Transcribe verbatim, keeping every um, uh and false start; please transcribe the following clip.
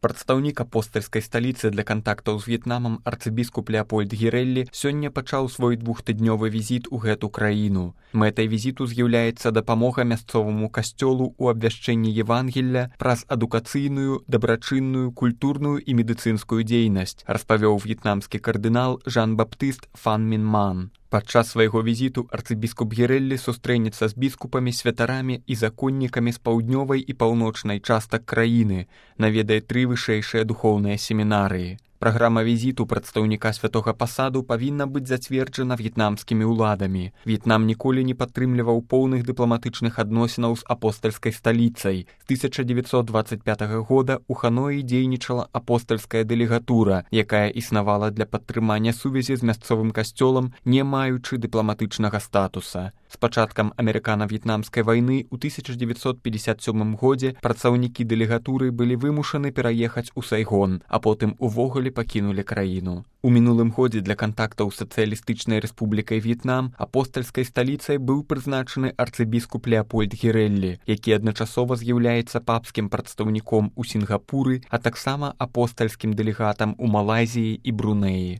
Прадстаўнік апостальскай сталіцы для кантактаў з В'етнамам арцыбіскуп Леапольд Гірэллі сёння пачаў свой двухтыднёвы візіт у гэту краіну. Мэтай візіту з'яўляецца дапамога мясцоваму касцёлу ў абвяшчэнні Евангелля праз адукацыйную, дабрачынную, культурную і медыцынскую дзейнасць, распавёў в'етнамскі кардынал Жан-Баптыст Фан Мін Ман. Падчас свайго візіту арцыбіскуп Гірэллі сустрэнецца з біскупамі, святарамі і законнікамі з паўднёвай і паўночнай частак краіны, наведае тры вышэйшыя духоўныя семінарыі. Праграма візіту прадстаўніка святога пасаду павінна быць зацверджана в'етнамскімі ўладамі. В'етнам ніколі не падтрымліваў поўных дыпламатычных адносінаў з апостальскай сталіцай. З тысяча дзевяцьсот дваццаць пятага года ў Ханоі дзейнічала апостальская дэлегатура, якая існавала для падтрымання сувязі з мясцовым касцёлам, не маючы дыпламатычнага статуса. З пачаткам амерыкана-в'етнамскай вайны ў тысяча дзевяцьсот пятьдесят сёмым годзе працаўнікі дэлегатуры былі вымушаны пераехаць у Сайгон, а потым увогуле пакінулі краіну. У мінулым годзе для кантактаў з сацыялістычнай рэспублікай В'етнам апостальскай сталіцай быў прызначаны арцыбіскуп Леапольд Гірэллі, які адначасова з'яўляецца папскім прадстаўніком у Сінгапуры, а таксама апостальскім дэлегатам у Малайзіі і Брунеі.